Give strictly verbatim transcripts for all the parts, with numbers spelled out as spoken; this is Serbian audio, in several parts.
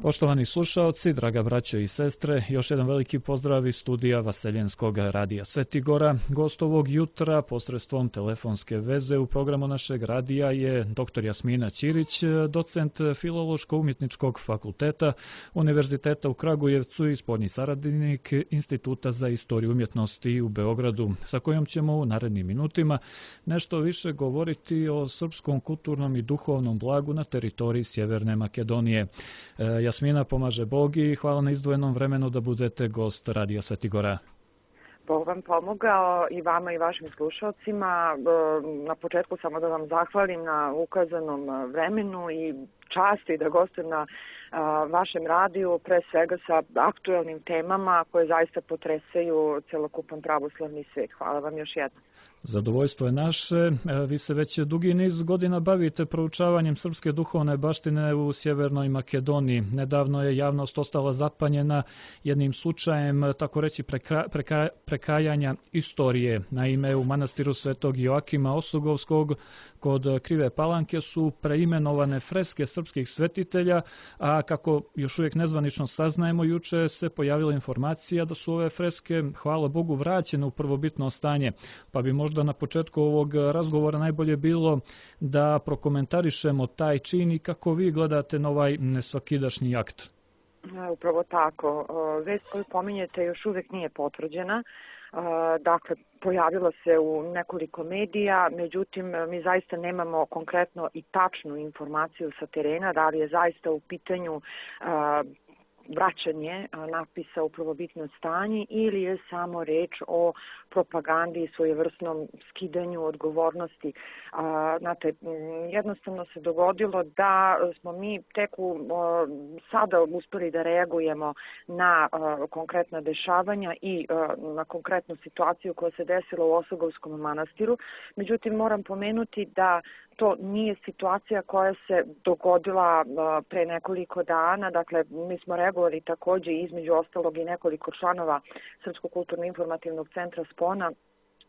Poštovani slušaoci, draga braćo i sestre, još jedan veliki pozdrav iz studija Vaseljenskog radija Sveti Gora. Gost ovog jutra posredstvom telefonske veze u programu našeg radija je doktor Jasmina Ćirić, docent Filološko-umjetničkog fakulteta Univerziteta u Kragujevcu i spoljni saradnik Instituta za istoriju umjetnosti u Beogradu, sa kojom ćemo u narednim minutima nešto više govoriti o srpskom kulturnom i duhovnom blagu na teritoriji Sjeverne Makedonije. Jasmina, pomaže Bog i hvala na izdvojenom vremenu da budete gost Radija Sveti Gora. Bog vam pomogao i vama i vašim slušalcima. Na početku samo da vam zahvalim na ukazanom vremenu i časti da gostujem na vašem radiju, pre svega sa aktuelnim temama koje zaista potresaju celokupan pravoslavni svet. Hvala vam još jednom. Zadovoljstvo je naše. Vi se već dugi niz godina bavite proučavanjem srpske duhovne baštine u Sjevernoj Makedoniji. Nedavno je javnost ostala zapanjena jednim slučajem, tako reći, preka, preka, prekajanja istorije. Naime, u manastiru Svetog Joakima Osogovskog kod Krive Palanke su preimenovane freske srpskih svetitelja, a kako još uvijek nezvanično saznajemo, juče se pojavila informacija da su ove freske, hvala Bogu, vraćene u prvobitno stanje. Pa bi možda na početku ovog razgovora najbolje bilo da prokomentarišemo taj čin i kako vi gledate na ovaj nesvakidašnji akt. Upravo tako. Vest koju pominjete još uvijek nije potvrđena. Dakle, pojavilo se u nekoliko medija, međutim mi zaista nemamo konkretno i tačnu informaciju sa terena, da li je zaista u pitanju vraćanje napisa u prvobitno stanje ili je samo reč o propagandi i svojevrsnom skidanju odgovornosti. Znate, jednostavno se dogodilo da smo mi tek u, sada uspeli da reagujemo na konkretna dešavanja i na konkretnu situaciju koja se desila u Osogovskom manastiru. Međutim, moram pomenuti da to nije situacija koja se dogodila pre nekoliko dana. Dakle, mi smo reagovali također između ostalog i nekoliko članova Srpskog kulturno-informativnog centra Spona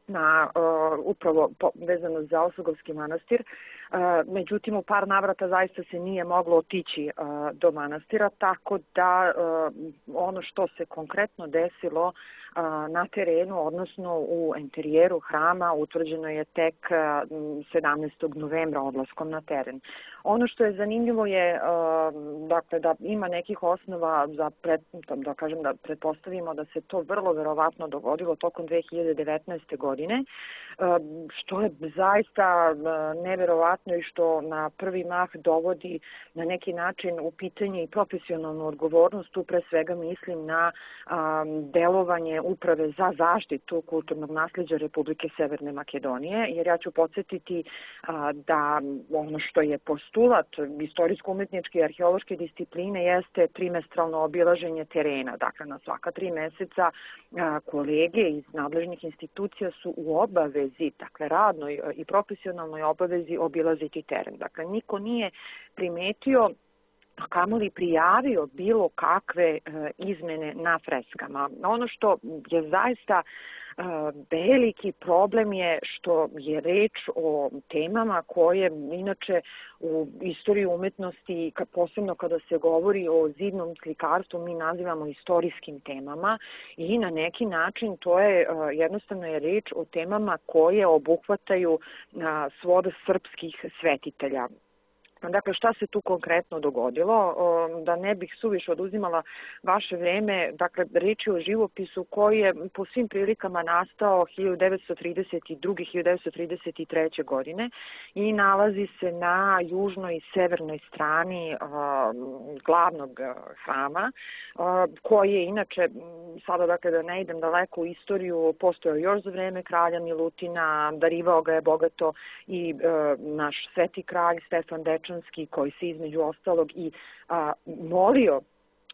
na uh, upravo po, vezano za Osogovski manastir. Uh, međutim, u par navrata zaista se nije moglo otići uh, do manastira, tako da uh, ono što se konkretno desilo uh, na terenu, odnosno u interijeru hrama, utvrđeno je tek uh, sedamnaestog novembra odlaskom na teren. Ono što je zanimljivo je uh, dakle, da ima nekih osnova za pred, da kažem da pretpostavimo da se to vrlo verovatno dogodilo tokom dve hiljade devetnaeste. godine, što je zaista neverovatno i što na prvi mah dovodi na neki način u pitanje i profesionalnu odgovornost. Tu pre svega mislim na delovanje Uprave za zaštitu kulturnog nasljeđa Republike Severne Makedonije, jer ja ću podsjetiti da ono što je postulat istorijsko-umjetničke i arheološke discipline jeste trimestralno obilaženje terena. Dakle, na svaka tri meseca kolege iz nadležnih institucija su u obavezi, dakle radnoj i profesionalnoj obavezi obilaziti teren. Dakle, niko nije primetio, a kamoli prijavio bilo kakve e, izmene na freskama. Ono što je zaista e, veliki problem je što je reč o temama koje inače u istoriji umetnosti, posebno kada se govori o zidnom slikarstvu, mi nazivamo istorijskim temama i na neki način to je e, jednostavno je reč o temama koje obuhvataju e, svod srpskih svetitelja. Dakle, šta se tu konkretno dogodilo? Da ne bih suviše oduzimala vaše vreme, dakle, reč je o živopisu koji je po svim prilikama nastao hiljadu devetsto trideset druge. hiljadu devetsto trideset treće. godine i nalazi se na južnoj i severnoj strani uh, glavnog hrama, uh, koji je inače, sada dakle da ne idem daleko u istoriju, postojao još za vreme kralja Milutina, darivao ga je bogato i uh, naš sveti kralj Stefan Dečanski, koji se između ostalog i a, molio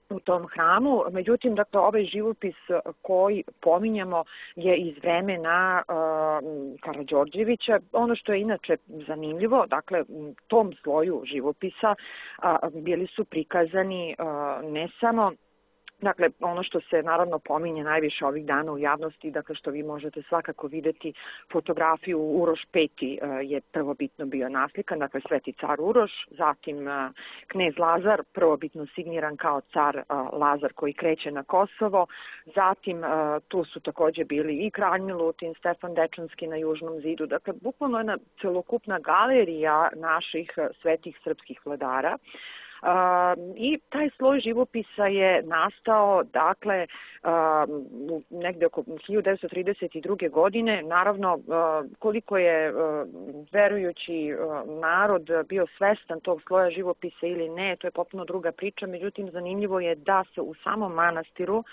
u tom hramu. Međutim, dakle, ovaj živopis koji pominjamo je iz vremena uh, Karađorđevića. Ono što je inače zanimljivo, dakle, u tom sloju živopisa uh, bili su prikazani uh, ne samo Dakle, ono što se naravno pominje najviše ovih dana u javnosti, dakle što vi možete svakako videti fotografiju Uroš peti je prvobitno bio naslikan, dakle Sveti car Uroš, zatim knez Lazar, prvobitno signiran kao car Lazar koji kreće na Kosovo, zatim tu su takođe bili i kralj Milutin, Stefan Dečanski na Južnom zidu, dakle bukvalno jedna celokupna galerija naših svetih srpskih vladara. Uh, i taj sloj živopisa je nastao, dakle, uh, negde oko hiljadu devetsto trideset druge. godine. Naravno, uh, koliko je uh, verujući uh, narod bio svestan tog sloja živopisa ili ne, to je potpuno druga priča, međutim, zanimljivo je da se u samom manastiru uh,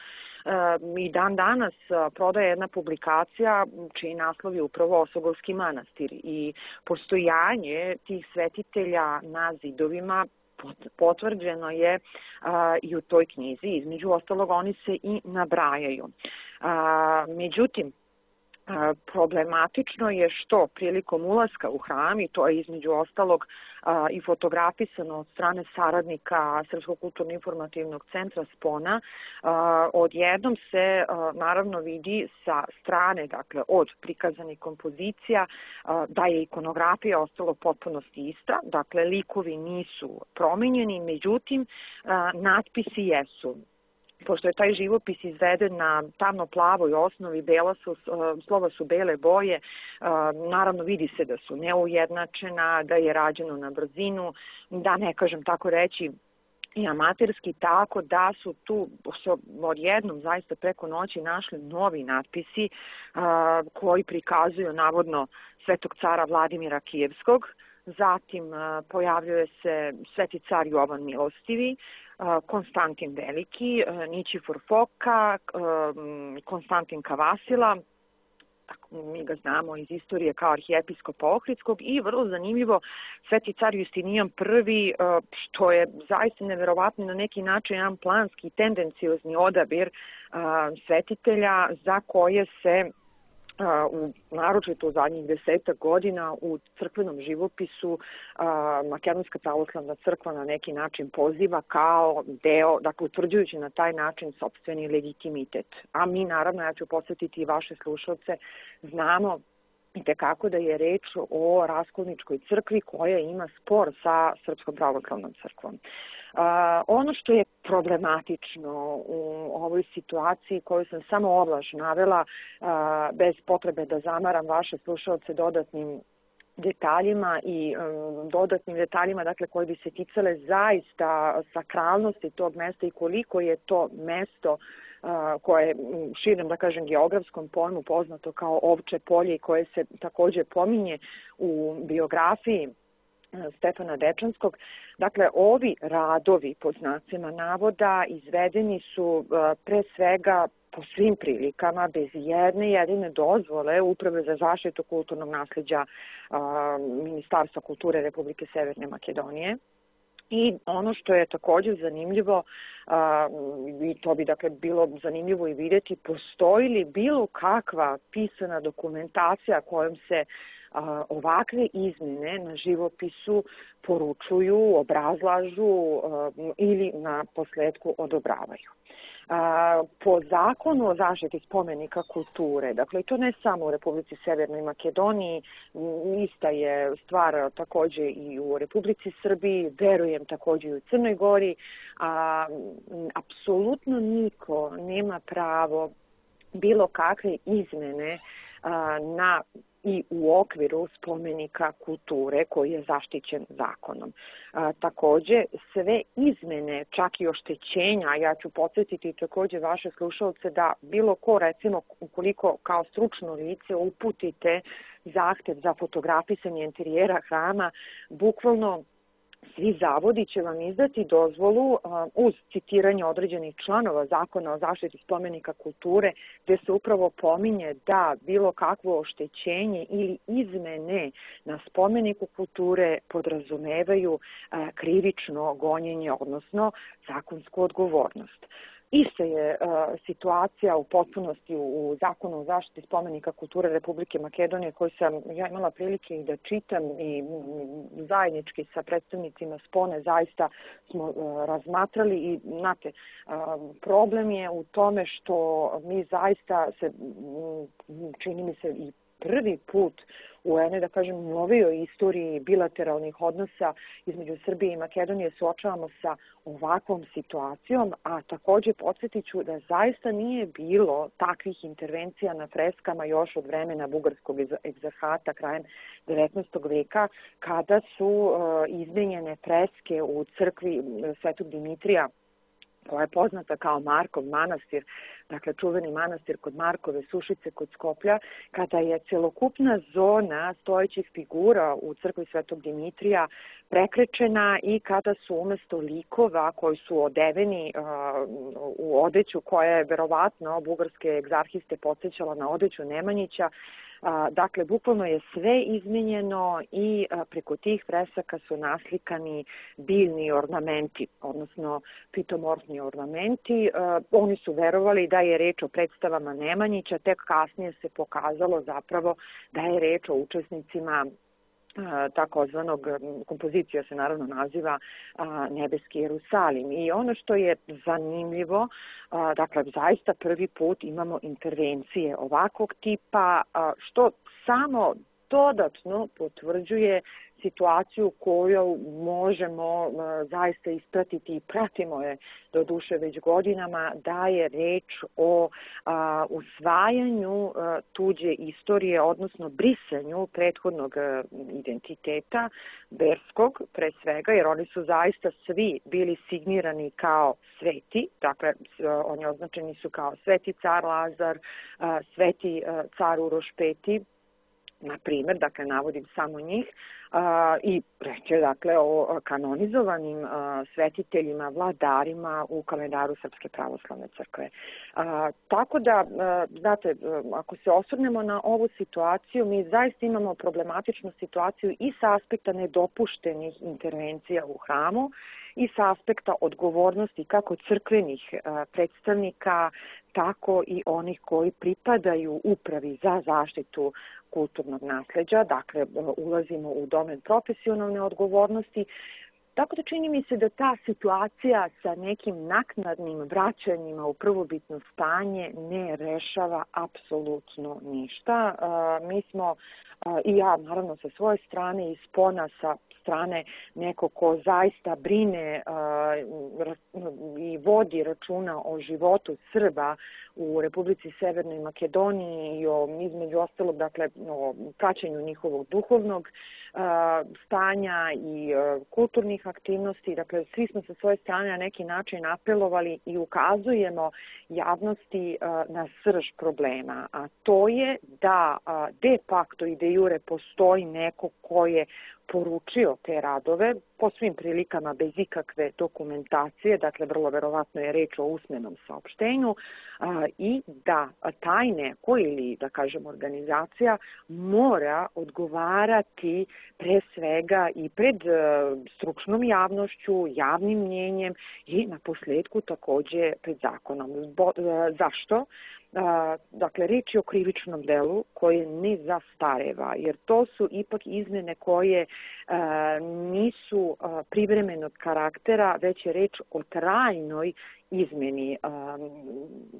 i dan danas uh, prodaje jedna publikacija čiji naslov je upravo Osogovski manastir i postojanje tih svetitelja na zidovima potvrđeno je a, i u toj knjizi. Između ostalog, oni se i nabrajaju. A, međutim, a, problematično je što prilikom ulaska u hram, i to je između ostalog a, i fotografisano od strane saradnika Srpskog kulturno-informativnog centra Spona, a, odjednom se a, naravno vidi sa strane, dakle od prikazanih kompozicija, a, da je ikonografija ostalo potpunosti ista, dakle likovi nisu promenjeni, međutim a, natpisi jesu. Pošto je taj živopis izveden na tamno-plavoj osnovi, bela su, slova su bele boje, naravno vidi se da su neujednačena, da je rađeno na brzinu, da ne kažem tako reći i amaterski, tako da su tu odjednom zaista preko noći našli novi natpisi koji prikazuju navodno svetog cara Vladimira Kijevskog. Zatim pojavljuje se sveti car Jovan Milostivi, Konstantin Veliki, Ničifor Foka, Konstantin Kavasila, mi ga znamo iz istorije kao arhijepiskopa Ohridskog, i vrlo zanimljivo sveti car Justinijan prvi, što je zaista neverovatno na neki način jedan planski i tendenciozni odabir svetitelja za koje se u naročito u zadnjih desetak godina u crkvenom živopisu Makedonska pravoslavna crkva na neki način poziva kao deo, dakle utvrđujući na taj način sopstveni legitimitet. A mi naravno, ja ću posjetiti i vaše slušalce, znamo i tekako da je reč o Raskolničkoj crkvi koja ima spor sa Srpskom pravoslavnom crkvom. Uh, ono što je problematično u ovoj situaciji koju sam samo ovlaš navela, uh, bez potrebe da zamaram vaše slušalce dodatnim detaljima i um, dodatnim detaljima, dakle, koji bi se ticale zaista sakralnosti tog mesta i koliko je to mesto uh, koje je širem, da kažem, geografskom pojmu poznato kao Ovče polje i koje se takođe pominje u biografiji Stefana Dečanskog. Dakle, ovi radovi, po znacima navoda, izvedeni su pre svega po svim prilikama, bez jedne jedine dozvole Uprave za zaštitu kulturnog nasleđa Ministarstva kulture Republike Severne Makedonije. I ono što je također zanimljivo, i to bi dakle bilo zanimljivo i vidjeti, postoji li bilo kakva pisana dokumentacija kojom se ovakve izmjene na živopisu poručuju, obrazlažu ili na posledku odobravaju. Po zakonu o zaštiti spomenika kulture, dakle to ne samo u Republici Severnoj Makedoniji, ista je stvar takođe i u Republici Srbiji, verujem takođe i u Crnoj Gori, a, apsolutno niko nema pravo bilo kakve izmene a, na i u okviru spomenika kulture koji je zaštićen zakonom. A, takođe, sve izmene, čak i oštećenja, ja ću podsjetiti takođe vaše slušalce da bilo ko, recimo, ukoliko kao stručno lice uputite zahtev za fotografisanje interijera hrama, bukvalno svi zavodi će vam izdati dozvolu uz citiranje određenih članova Zakona o zaštiti spomenika kulture, gde se upravo pominje da bilo kakvo oštećenje ili izmene na spomeniku kulture podrazumevaju krivično gonjenje, odnosno zakonsku odgovornost. Ista je uh, situacija u potpunosti u, u Zakonu o zaštiti spomenika kulture Republike Makedonije, koju sam ja imala prilike i da čitam i m, zajednički sa predstavnicima Spone zaista smo uh, razmatrali i znate, uh, problem je u tome što mi zaista se, m, čini mi se i prvi put u jednoj, da kažem, novijoj istoriji bilateralnih odnosa između Srbije i Makedonije suočavamo sa ovakvom situacijom, a takođe podsjetit ću da zaista nije bilo takvih intervencija na freskama još od vremena bugarskog egzarhata krajem devetnaestog veka, kada su uh, izmenjene freske u crkvi Svetog Dimitrija, koja je poznata kao Markov manastir, dakle čuveni manastir kod Markove Sušice kod Skoplja, kada je celokupna zona stojećih figura u crkvi Svetog Dimitrija prekrečena i kada su umesto likova koji su odeveni uh, u odeću koja je verovatno bugarske egzarhiste podsjećala na odeću Nemanjića, A, dakle, bukvalno je sve izmenjeno i a, preko tih fresaka su naslikani biljni ornamenti, odnosno fitomorfni ornamenti. A, oni su verovali da je reč o predstavama Nemanjića, tek kasnije se pokazalo zapravo da je reč o učesnicima takozvanog, kompozicija se naravno naziva Nebeski Jerusalim. I ono što je zanimljivo, dakle, zaista prvi put imamo intervencije ovakvog tipa, što samo dodatno potvrđuje situaciju koju možemo uh, zaista ispratiti i pratimo je do duše već godinama, da je reč o uh, usvajanju uh, tuđe istorije, odnosno brisanju prethodnog uh, identiteta, verskog pre svega, jer oni su zaista svi bili signirani kao sveti, dakle uh, oni označeni su kao sveti car Lazar, uh, sveti uh, car Uroš peti, na primjer, dakle, navodim samo njih, a, i reče, dakle, o kanonizovanim a, svetiteljima, vladarima u kalendaru Srpske pravoslavne crkve. A, tako da, a, znate, ako se osvrnemo na ovu situaciju, mi zaista imamo problematičnu situaciju i sa aspekta nedopuštenih intervencija u hramu, i sa aspekta odgovornosti kako crkvenih a, predstavnika, tako i onih koji pripadaju upravi za zaštitu kulturnog nasleđa, dakle ulazimo u domen profesionalne odgovornosti. Tako da čini mi se da ta situacija sa nekim naknadnim vraćanjima u prvobitno stanje ne rešava apsolutno ništa. Mi smo, i ja naravno sa svoje strane i Spona sa strane neko ko zaista brine i vodi računa o životu Srba u Republici Severnoj Makedoniji i o, između ostalog, dakle, o praćenju njihovog duhovnog stanja i kulturnih aktivnosti. Dakle, svi smo sa svoje strane na neki način apelovali i ukazujemo javnosti na srž problema, a to je da de facto i de jure postoji neko ko je poručio te radove, po svim prilikama bez ikakve dokumentacije, dakle vrlo verovatno je reč o usmenom saopštenju, a, i da taj neko ili, da kažem, organizacija mora odgovarati pre svega i pred a, stručnom javnošću, javnim mnjenjem i na posledku takođe pred zakonom. Zbo, a, zašto? A, dakle, reč je o krivičnom delu koje ne zastareva, jer to su ipak izmene koje a, nisu a, privremenog karaktera, već je reč o trajnoj izmeni a,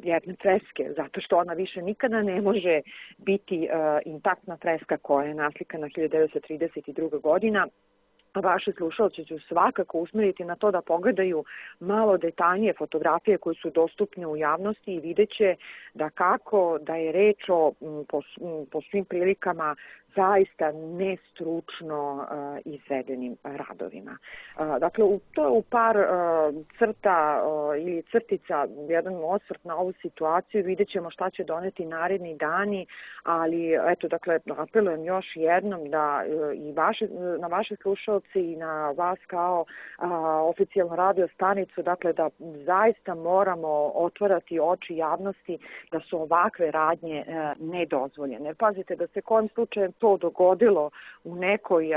jedne freske, zato što ona više nikada ne može biti a, intaktna freska koja je naslikana hiljadu devetsto trideset druga. godina. Vaše slušalce ću svakako usmeriti na to da pogledaju malo detaljnije fotografije koje su dostupne u javnosti i vidjet će da kako da je reč o po, po svim prilikama zaista nestručno uh, izvedenim radovima. Uh, dakle, u, to je u par uh, crta uh, ili crtica, jedan osvrt na ovu situaciju, vidjet ćemo šta će doneti naredni dani, ali eto, dakle, apelujem još jednom da uh, i vaše, na vaše slušalce i na vas kao uh, oficijalnu radio stanicu, dakle, da zaista moramo otvarati oči javnosti da su ovakve radnje uh, nedozvoljene. Pazite, da se kojim slučajem to dogodilo u nekoj,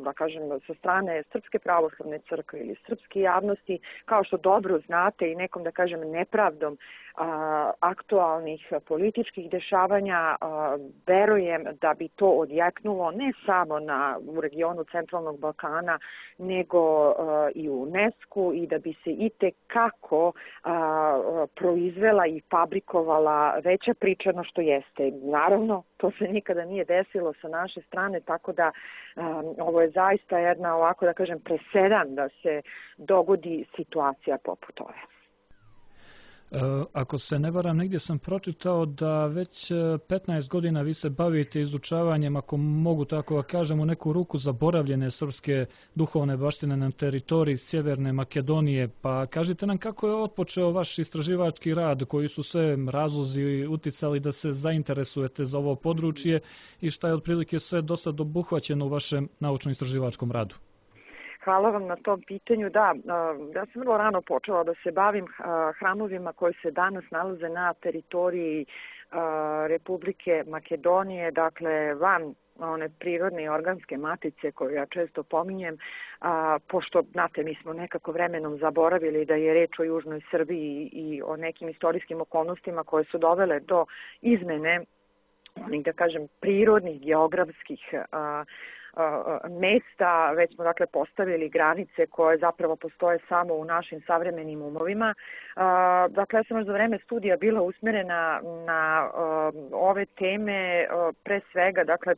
da kažem, sa strane Srpske pravoslavne crkve ili srpske javnosti, kao što dobro znate i nekom, da kažem, nepravdom a, aktualnih političkih dešavanja, a, verujem da bi to odjeknulo ne samo na, u regionu Centralnog Balkana, nego a, i u UNESCO i da bi se i tekako a, proizvela i fabrikovala veća priča no što jeste. Naravno, to se nikada nije desilo sa naše strane, tako da um, ovo je zaista jedna, ovako da kažem, presedan da se dogodi situacija poput ove. Ako se ne varam, negdje sam pročitao da već petnaest godina vi se bavite izučavanjem, ako mogu tako da kažem, u neku ruku zaboravljene srpske duhovne baštine na teritoriji Sjeverne Makedonije. Pa kažite nam kako je otpočeo vaš istraživački rad, koji su sve razlozi uticali da se zainteresujete za ovo područje i šta je otprilike sve do sad obuhvaćeno u vašem naučno-istraživačkom radu? Hvala vam na tom pitanju. Da, ja sam vrlo rano počela da se bavim hramovima koji se danas nalaze na teritoriji Republike Makedonije, dakle van one prirodne i organske matice koju ja često pominjem, a, pošto, znate, mi smo nekako vremenom zaboravili da je reč o Južnoj Srbiji i o nekim istorijskim okolnostima koje su dovele do izmene onih, da kažem, prirodnih, geografskih a, mesta, već smo dakle postavili granice koje zapravo postoje samo u našim savremenim umovima. Dakle, ja sam još za vreme studija bila usmjerena na ove teme, pre svega, dakle,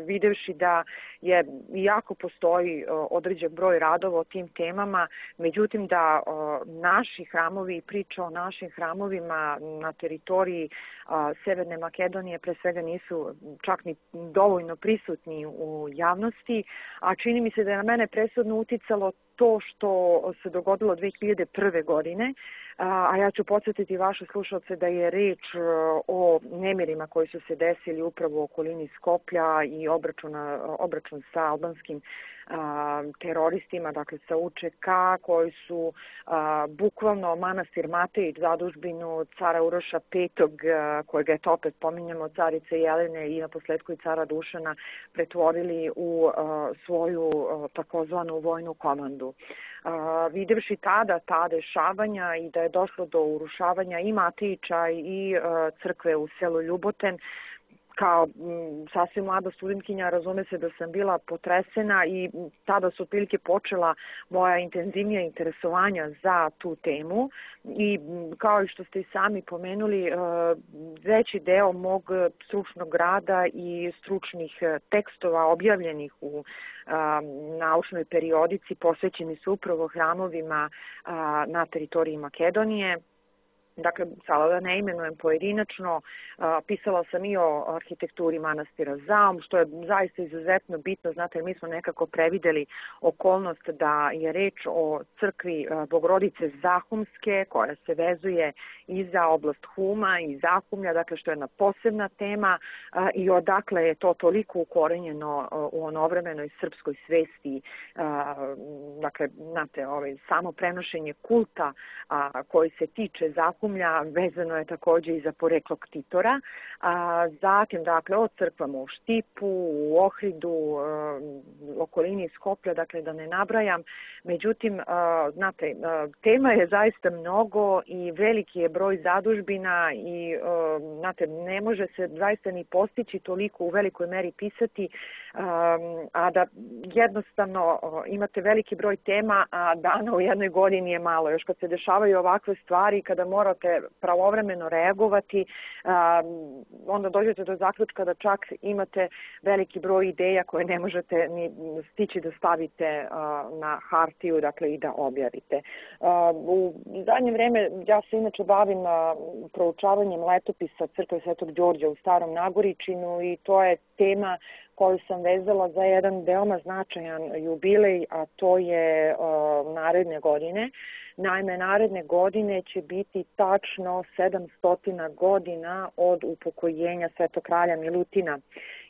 videvši da je jako postoji određen broj radova o tim temama, međutim da naši hramovi i priča o našim hramovima na teritoriji Severne Makedonije pre svega nisu čak ni dovoljno prisutni u javnosti, a čini mi se da je na mene presudno uticalo to što se dogodilo dve hiljade prve. godine, a ja ću podsjetiti vaše slušalce da je reč o nemirima koji su se desili upravo u okolini Skoplja i obračuna, obračun sa albanskim a, teroristima, dakle sa U Č K, koji su a, bukvalno manastir Matejić, zadužbinu cara Uroša petog, a, kojega je to opet pominjamo, carice Jelene i na posledku i cara Dušana, pretvorili u a, svoju a, takozvanu vojnu komandu. Uh, videvši tada ta dešavanja i da je došlo do urušavanja i Matejića i uh, crkve u selu Ljuboten, kao m, sasvim mlada studentkinja, razume se da sam bila potresena i tada su otprilike počela moja intenzivnija interesovanja za tu temu i m, kao i što ste i sami pomenuli, uh, veći deo mog stručnog rada i stručnih tekstova objavljenih u naučnoj periodici posvećeni su upravo hramovima na teritoriji Makedonije. Dakle, sada da ne imenujem pojedinačno, pisala sam i o arhitekturi manastira Zaum, što je zaista izuzetno bitno, znate, mi smo nekako prevideli okolnost da je reč o crkvi Bogorodice Zahumske, koja se vezuje i za oblast Huma i Zahumlja, dakle, što je jedna posebna tema i odakle je to toliko ukorenjeno u onovremenoj srpskoj svesti, dakle, znate, ovaj, samo prenošenje kulta koji se tiče Zahumlja, vezano je također i za poreklo ktitora. A, zatim, dakle, od crkvama u Štipu, u Ohridu, a, okolini Skoplja, dakle, da ne nabrajam. Međutim, a, znate, a, tema je zaista mnogo i veliki je broj zadužbina i, a, znate, ne može se zaista ni postići toliko u velikoj meri pisati, a, a da jednostavno a, imate veliki broj tema, a dana u jednoj godini je malo. Još kad se dešavaju ovakve stvari, kada morate pravovremeno reagovati, onda dođete do zaključka da čak imate veliki broj ideja koje ne možete ni stići da stavite na hartiju, dakle, i da objavite. U zadnje vreme ja se inače bavim proučavanjem letopisa crkve Svetog Đorđa u Starom Nagoričinu i to je tema koju sam vezala za jedan veoma značajan jubilej, a to je uh, naredne godine. Naime, naredne godine će biti tačno sedamsto godina od upokojenja Svetog kralja Milutina.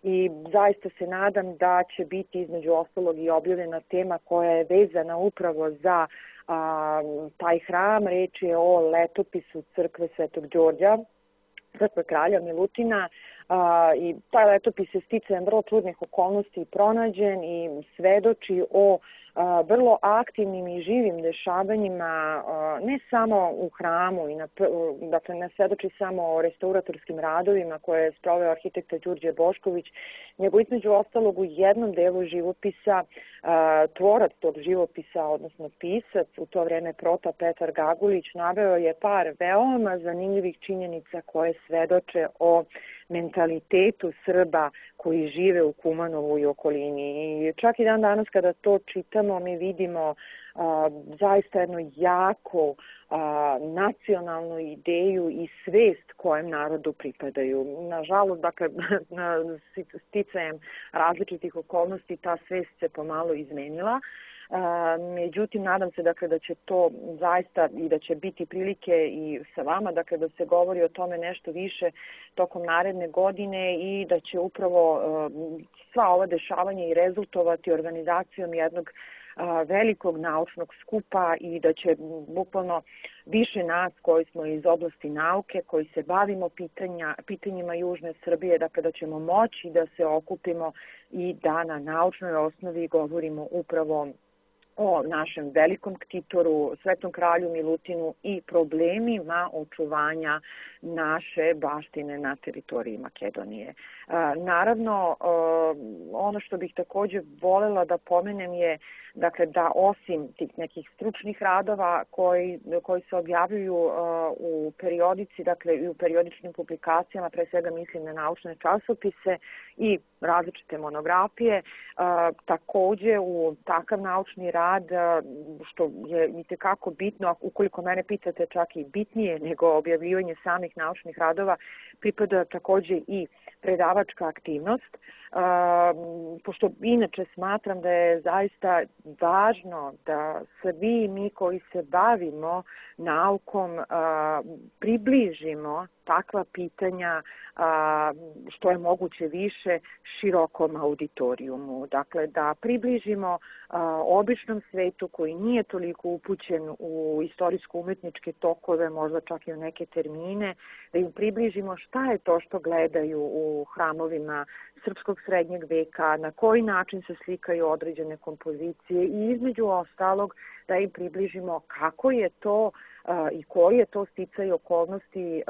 I zaista se nadam da će biti između ostalog i objavljena tema koja je vezana upravo za a, taj hram. Reč je o letopisu crkve Svetog Đorđa, crkve kralja Milutina, i taj letopis je sticajem vrlo čudnih okolnosti pronađen i svedoči o vrlo aktivnim i živim dešavanjima, ne samo u hramu, i na, dakle ne svedoči samo o restauratorskim radovima koje je sproveo arhitekta Đurđe Bošković, nego između ostalog u jednom delu živopisa tvorac tog živopisa, odnosno pisac, u to vreme prota Petar Gagulić, naveo je par veoma zanimljivih činjenica koje svedoče o mentalitetu Srba koji žive u Kumanovu i okolini. I čak i dan danas kada to čitamo, mi vidimo a, zaista jednu jako a, nacionalnu ideju i svest kojem narodu pripadaju. Nažalost, dakle, sticajem različitih okolnosti ta svest se pomalo izmenila. Međutim, nadam se dakle da će to zaista i da će biti prilike i sa vama, dakle da se govori o tome nešto više tokom naredne godine i da će upravo sva ova dešavanja i rezultovati organizacijom jednog velikog naučnog skupa i da će bukvalno više nas koji smo iz oblasti nauke, koji se bavimo pitanja, pitanjima Južne Srbije, dakle da ćemo moći da se okupimo i da na naučnoj osnovi govorimo upravo o našem velikom ktitoru, Svetom kralju Milutinu i problemima očuvanja naše baštine na teritoriji Makedonije. Naravno, ono što bih također voljela da pomenem je dakle, da osim tih nekih stručnih radova koji, koji se objavljuju u periodici, dakle i u periodičnim publikacijama, pre svega mislim na naučne časopise i različite monografije, također u takav naučni rad, što je itekako bitno, ukoliko mene pitate čak i bitnije nego objavljivanje samih naučnih radova, pripada također i predavačka aktivnost, pošto inače smatram da je zaista važno da svi mi koji se bavimo naukom približimo takva pitanja što je moguće više širokom auditorijumu. Dakle, da približimo običnom svetu koji nije toliko upućen u istorijsko-umetničke tokove, možda čak i u neke termine, da im približimo šta je to što gledaju u hramovima srpskog srednjeg veka, na koji način se slikaju određene kompozicije i između ostalog da im približimo kako je to i koji je to sticaj okolnosti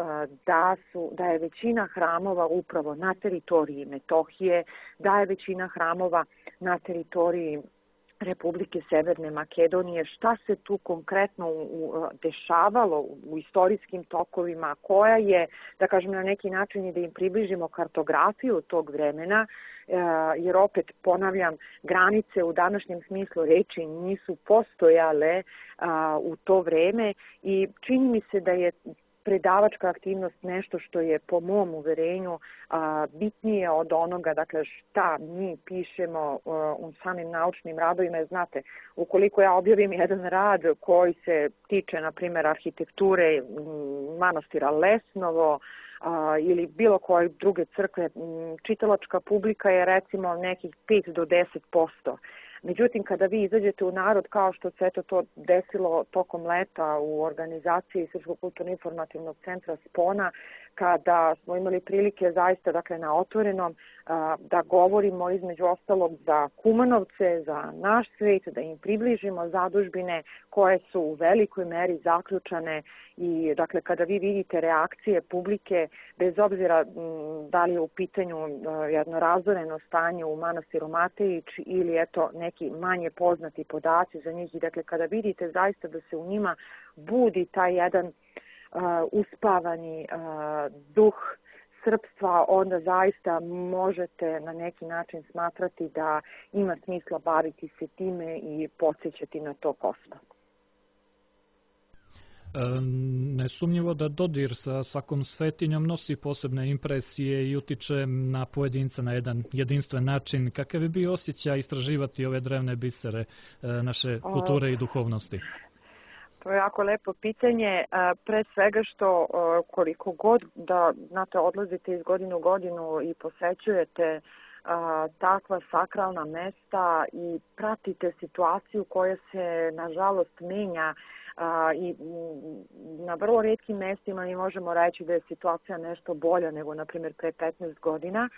da, su, da je većina hramova upravo na teritoriji Metohije, da je većina hramova na teritoriji Republike Severne Makedonije, šta se tu konkretno dešavalo u istorijskim tokovima, koja je, da kažem na neki način i da im približimo kartografiju tog vremena, jer opet ponavljam, granice u današnjem smislu reči nisu postojale u to vreme i čini mi se da je predavačka aktivnost nešto što je po mom uverenju a, bitnije od onoga, dakle šta mi pišemo a, u samim naučnim radovima. Znate, ukoliko ja objavim jedan rad koji se tiče, na primjer, arhitekture manastira Lesnovo a, ili bilo koje druge crkve, čitalačka publika je recimo nekih pet do deset posto. Međutim, kada vi izađete u narod, kao što se eto to desilo tokom leta u organizaciji Srpskog kulturno-informativnog centra Spona, kada smo imali prilike zaista dakle, na otvorenom da govorimo između ostalog za Kumanovce, za naš svet, da im približimo zadužbine koje su u velikoj meri zaključane i dakle kada vi vidite reakcije publike, bez obzira da li je u pitanju jedno razoreno stanje u manastiru Matejić ili eto neki manje poznati podaci za njih i dakle kada vidite zaista da se u njima budi taj jedan Uh, uspavani uh, duh srpstva, onda zaista možete na neki način smatrati da ima smisla baviti se time i podsjećati na to ko smo. Nesumnjivo da dodir sa svakom svetinjom nosi posebne impresije i utiče na pojedinca na jedan jedinstven način. Kakav bi bio osjećaj istraživati ove drevne bisere naše kulture i duhovnosti? To je jako lepo pitanje, pre svega što koliko god da znate, odlazite iz godine u godinu i posećujete takva sakralna mesta i pratite situaciju koja se nažalost menja i na vrlo retkim mestima mi možemo reći da je situacija nešto bolja nego na primjer pre petnaest godina.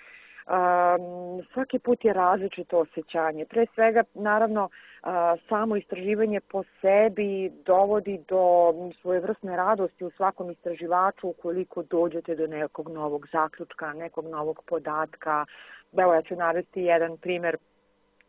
Um, svaki put je različito osjećanje. Pre svega, naravno, uh, samo istraživanje po sebi dovodi do svojevrsne radosti u svakom istraživaču ukoliko dođete do nekog novog zaključka, nekog novog podatka. Evo, ja ću navesti jedan primer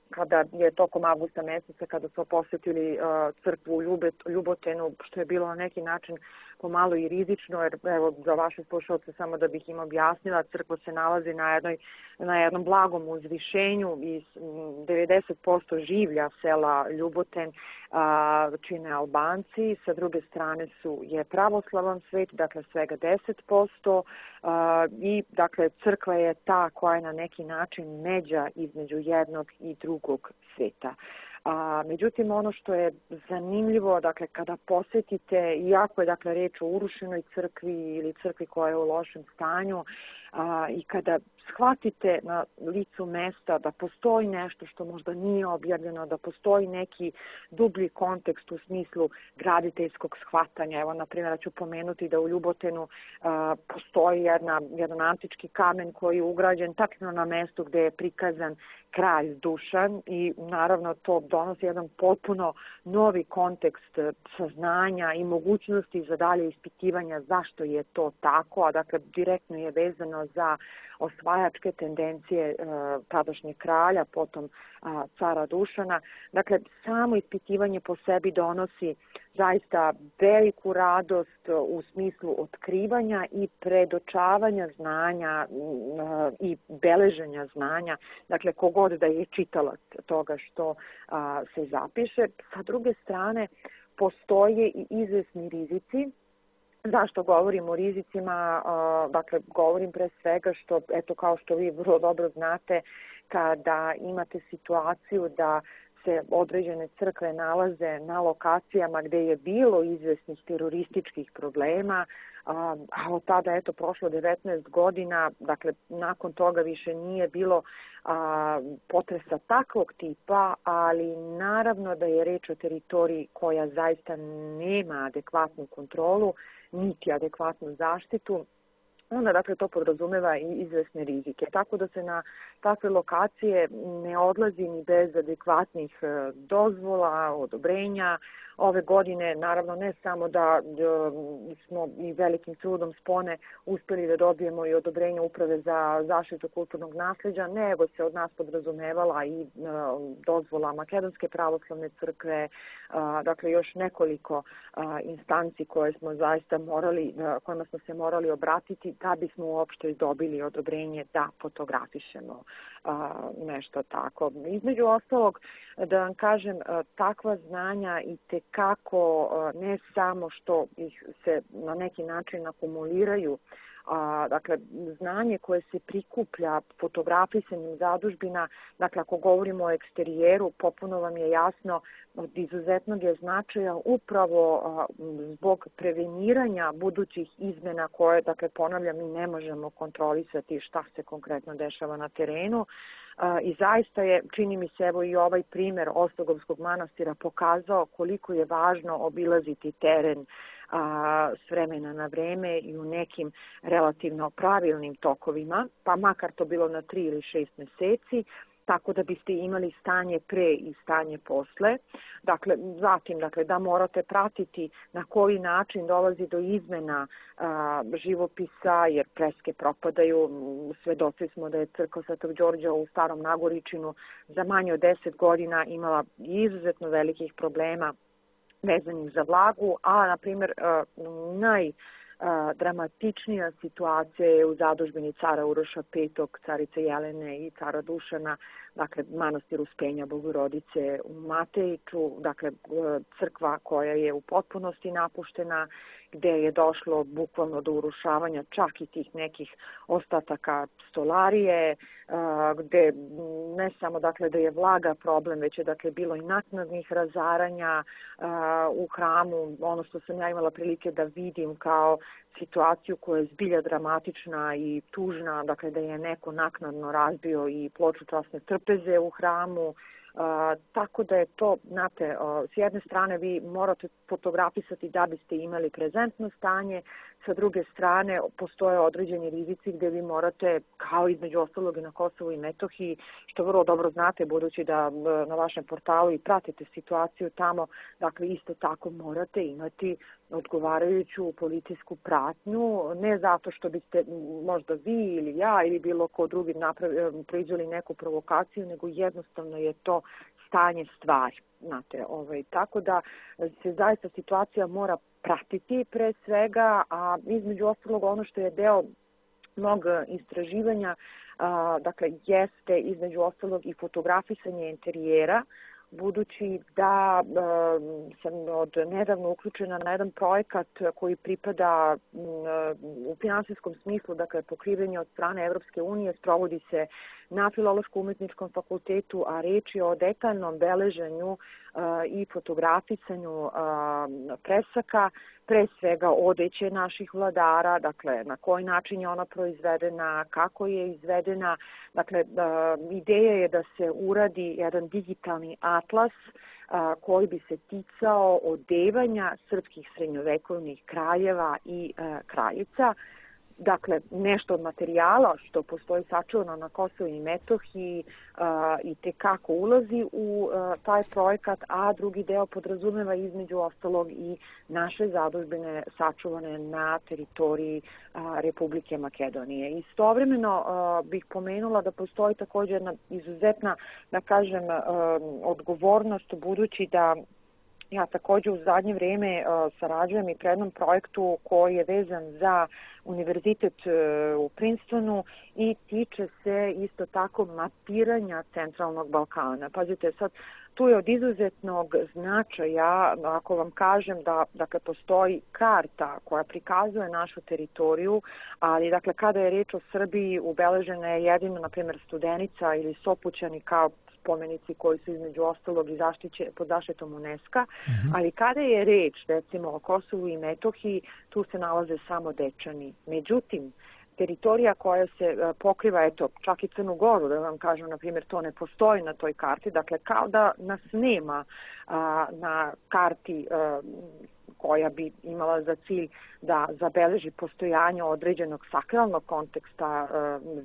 kada je tokom avgusta meseca, kada smo posjetili uh, crkvu u Ljubotenu, što je bilo na neki način pomalo i rizično, jer evo za vaše slušalce samo da bih im objasnila, crkva se nalazi na, jednoj, na jednom blagom uzvišenju i devedeset posto življa sela Ljuboten uh, čine Albanci, sa druge strane su je pravoslavan svet, dakle svega deset posto uh, i dakle crkva je ta koja je na neki način međa između jednog i drugog sveta. A, međutim, ono što je zanimljivo, dakle, kada posjetite, iako je dakle reč o urušenoj crkvi ili crkvi koja je u lošem stanju, a, i kada shvatite na licu mesta da postoji nešto što možda nije objavljeno, da postoji neki dublji kontekst u smislu graditeljskog shvatanja. Evo, na primjer, ću pomenuti da u Ljubotenu a, postoji jedna, jedan antički kamen koji je ugrađen tačno na mestu gdje je prikazan kralj Dušan i naravno to donosi jedan potpuno novi kontekst saznanja i mogućnosti za dalje ispitivanja zašto je to tako, a dakle direktno je vezano za osvajačke tendencije e, tadašnjeg kralja, potom a, cara Dušana. Dakle, samo ispitivanje po sebi donosi zaista veliku radost u smislu otkrivanja i predočavanja znanja a, i beleženja znanja. Dakle, kogod da je čitalac toga što a, se zapiše. Sa druge strane, postoje i izvesni rizici. Zašto govorim o rizicima? Dakle, govorim pre svega što, eto kao što vi vrlo dobro znate, kada imate situaciju da se određene crkve nalaze na lokacijama gdje je bilo izvesnih terorističkih problema, a od tada eto prošlo devetnaest godina, dakle nakon toga više nije bilo a, potresa takvog tipa, ali naravno da je reč o teritoriji koja zaista nema adekvatnu kontrolu, niti adekvatnu zaštitu, onda dakle to podrazumeva i izvesne rizike. Tako da se na takve lokacije ne odlazi ni bez adekvatnih dozvola, odobrenja. Ove godine, naravno, ne samo da, da smo i velikim trudom spone uspjeli da dobijemo i odobrenje Uprave za zaštitu kulturnog nasljeđa, nego se od nas podrazumevala i uh, dozvola Makedonske pravoslavne crkve, uh, dakle još nekoliko uh, instanci koje smo zaista morali, uh, kojima smo se morali obratiti da bismo uopšte dobili odobrenje da fotografišemo uh, nešto tako. Između ostalog, da vam kažem, uh, takva znanja i te kako ne samo što ih se na neki način akumuliraju, a, dakle, znanje koje se prikuplja fotografisanjem zadužbina, dakle, ako govorimo o eksterijeru, popuno vam je jasno od izuzetnog je značaja upravo a, zbog preveniranja budućih izmena koje, dakle, ponavljam, mi ne možemo kontrolisati šta se konkretno dešava na terenu. I zaista je, čini mi se, evo i ovaj primjer Ostogovskog manastira pokazao koliko je važno obilaziti teren a, s vremena na vreme i u nekim relativno pravilnim tokovima, pa makar to bilo na tri ili šest mjeseci, tako da biste imali stanje pre i stanje posle. Dakle, zatim, dakle, da morate pratiti na koji način dolazi do izmena a, živopisa, jer freske propadaju. Svedoci smo da je crkva Svetog Đorđa u Starom Nagoričinu za manje od deset godina imala izuzetno velikih problema vezanih za vlagu, a, na primjer, naj dramatičnija situacija je u zadužbini cara Uroša petog, carice Jelene i cara Dušana, dakle manastir Uspenja Bogorodice u Matejiću, dakle crkva koja je u potpunosti napuštena, gdje je došlo bukvalno do urušavanja čak i tih nekih ostataka stolarije, gdje ne samo dakle da je vlaga problem, već je dakle bilo i naknadnih razaranja u hramu. Ono što sam ja imala prilike da vidim kao situaciju koja je zbilja dramatična i tužna, dakle da je neko naknadno razbio i ploču časne trpeze u hramu. Uh, tako da je to, znate, uh, s jedne strane vi morate fotografisati da biste imali prezentno stanje, sa druge strane postoje određeni rizici gde vi morate, kao između ostalog i na Kosovu i Metohiji, što vrlo dobro znate budući da uh, na vašem portalu i pratite situaciju tamo, dakle isto tako morate imati odgovarajuću policijsku pratnju, ne zato što biste možda vi ili ja ili bilo ko drugi napravi, proizveli neku provokaciju, nego jednostavno je to stanje stvari. Znate, ovaj, tako da se zaista situacija mora pratiti pre svega, a između ostalog ono što je deo mog istraživanja, a, dakle, jeste između ostalog i fotografisanje interijera, budući da e, sam od nedavno uključena na jedan projekat koji pripada m, u finansijskom smislu, dakle pokrivenje od strane Evropske unije, sprovodi se na Filološko-umetničkom fakultetu, a reč je o detaljnom beleženju a, i fotografisanju a, presaka, pre svega odeće naših vladara, dakle na koji način je ona proizvedena, kako je izvedena. Dakle, a, ideja je da se uradi jedan digitalni atlas a, koji bi se ticao odevanja srpskih srednjovekovnih kraljeva i a, kraljica. Dakle, nešto od materijala što postoji sačuvano na Kosovu i Metohiji a, i tekako ulazi u a, taj projekat, a drugi deo podrazumeva između ostalog i naše zadužbine sačuvane na teritoriji a, Republike Makedonije. Istovremeno a, bih pomenula da postoji također jedna izuzetna, da kažem, a, odgovornost budući da ja također u zadnje vrijeme uh, sarađujem i pre jednom projektu koji je vezan za univerzitet uh, u Princetonu i tiče se isto tako mapiranja centralnog Balkana. Pazite, sad tu je od izuzetnog značaja, ako vam kažem da dakle, postoji karta koja prikazuje našu teritoriju, ali dakle kada je reč o Srbiji ubeležena je jedino, na primjer, Studenica ili Sopućani kao spomenici koji su između ostalog i zaštiće, pod zaštitom UNESCO-a, mm-hmm. ali kada je reč recimo o Kosovu i Metohiji, tu se nalaze samo Dečani. Međutim, teritorija koja se pokriva, eto, čak i Crnu Goru, da vam kažem, na primjer, to ne postoji na toj karti, dakle kao da nas nema a, na karti a, koja bi imala za cilj da zabeleži postojanje određenog sakralnog konteksta,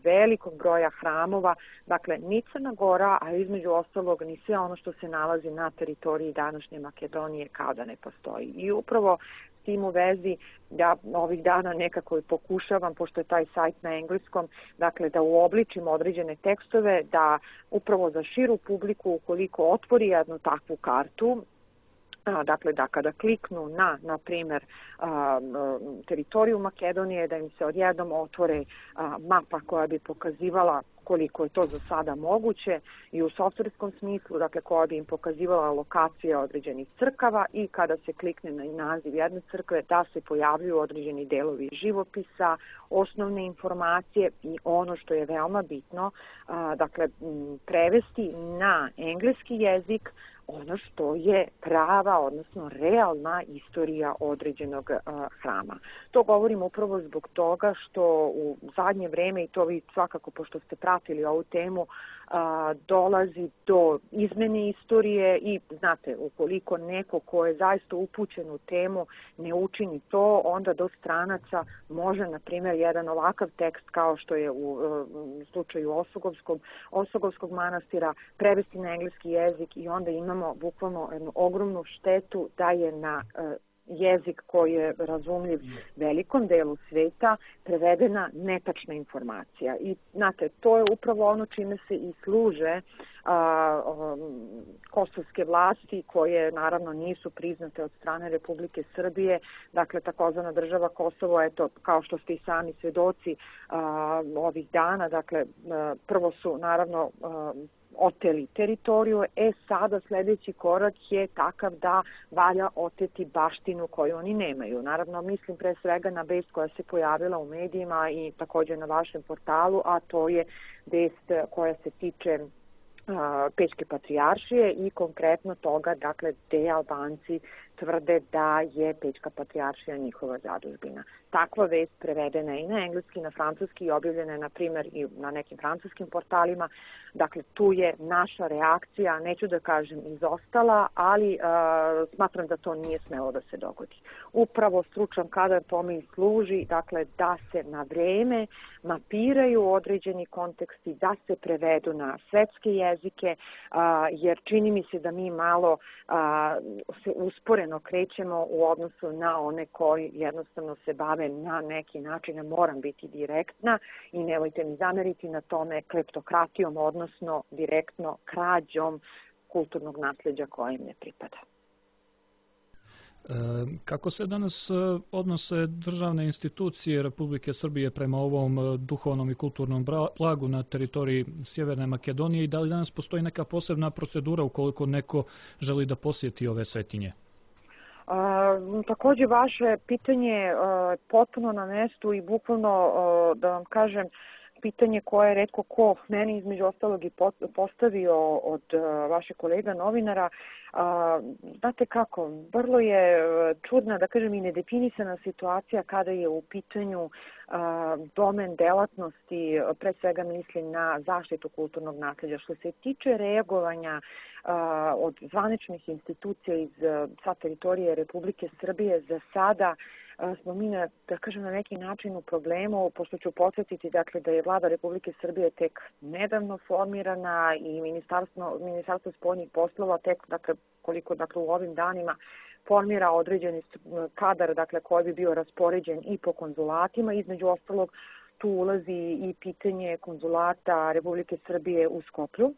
velikog broja hramova, dakle ni Crna Gora, a između ostalog ni sve ono što se nalazi na teritoriji današnje Makedonije kao da ne postoji. I upravo s tim u vezi ja ovih dana nekako pokušavam, pošto je taj sajt na engleskom, dakle da uobličim određene tekstove, da upravo za širu publiku, ukoliko otvori jednu takvu kartu, dakle da kada kliknu na, na primjer, teritoriju Makedonije, da im se odjednom otvore mapa koja bi pokazivala koliko je to za sada moguće i u softverskom smislu, dakle koja bi im pokazivala lokacije određenih crkava i kada se klikne na naziv jedne crkve da se pojavljuju određeni delovi živopisa, osnovne informacije i ono što je veoma bitno, dakle prevesti na engleski jezik ono što je prava, odnosno realna istorija određenog uh, hrama. To govorim upravo zbog toga što u zadnje vreme, i to vi svakako pošto ste pratili ovu temu, uh, dolazi do izmene istorije i znate, ukoliko neko ko je zaista upućen u temu ne učini to, onda do stranaca može, na primjer, jedan ovakav tekst kao što je u uh, slučaju Osogovskog, Osogovskog manastira prevesti na engleski jezik i onda imamo bukvalno jednu ogromnu štetu da je na uh, jezik koji je razumljiv velikom delu sveta prevedena netačna informacija. I znate, to je upravo ono čime se i služe a, um, kosovske vlasti koje naravno nisu priznate od strane Republike Srbije. Dakle, takozvana država Kosovo, eto, kao što ste i sami svedoci a, ovih dana, dakle, a, prvo su naravno a, oteli teritoriju, e sada sljedeći korak je takav da valja oteti baštinu koju oni nemaju. Naravno, mislim pre svega na vest koja se pojavila u medijima i također na vašem portalu, a to je vest koja se tiče Pečke patrijaršije i konkretno toga, dakle, gde Albanci tvrde da je Pećka patrijaršija njihova zadužbina. Takva vest prevedena je i na engleski, na francuski i objavljena je, na primjer, i na nekim francuskim portalima. Dakle, tu je naša reakcija, neću da kažem izostala, ali uh, smatram da to nije smelo da se dogodi. Upravo stručan kadar tome i služi, dakle, da se na vreme mapiraju određeni konteksti, da se prevedu na svetske jezike, uh, jer čini mi se da mi malo uh, se usporeno krećemo u odnosu na one koji jednostavno se bave na neki način, moram biti direktna i nemojte mi zameriti na tome, kleptokratijom, odnosno direktno krađom kulturnog nasleđa koje im ne pripada. Kako se danas odnose državne institucije Republike Srbije prema ovom duhovnom i kulturnom blagu na teritoriji Sjeverne Makedonije i da li danas postoji neka posebna procedura ukoliko neko želi da posjeti ove svetinje? Uh, takođe, vaše pitanje je uh, potpuno na mestu i bukvalno, uh, da vam kažem, pitanje koje je retko ko meni između ostalog i postavio od uh, vašeg kolega novinara. Uh, znate kako, vrlo je čudna, da kažem, i nedefinisana situacija kada je u pitanju uh, domen delatnosti, pre svega mislim na zaštitu kulturnog nasleđa. Što se tiče reagovanja uh, od zvaničnih institucija iz uh, sa teritorije Republike Srbije, za sada smo mi, na, da kažem, na neki način u problemu, pošto ću podsjetiti, dakle, da je Vlada Republike Srbije tek nedavno formirana i Ministarstvo, Ministarstvo spoljnih poslova tek, dakle, koliko, dakle, u ovim danima formira određeni kadar, dakle, koji bi bio raspoređen i po konzulatima. Između ostalog, tu ulazi i pitanje konzulata Republike Srbije u Skoplju,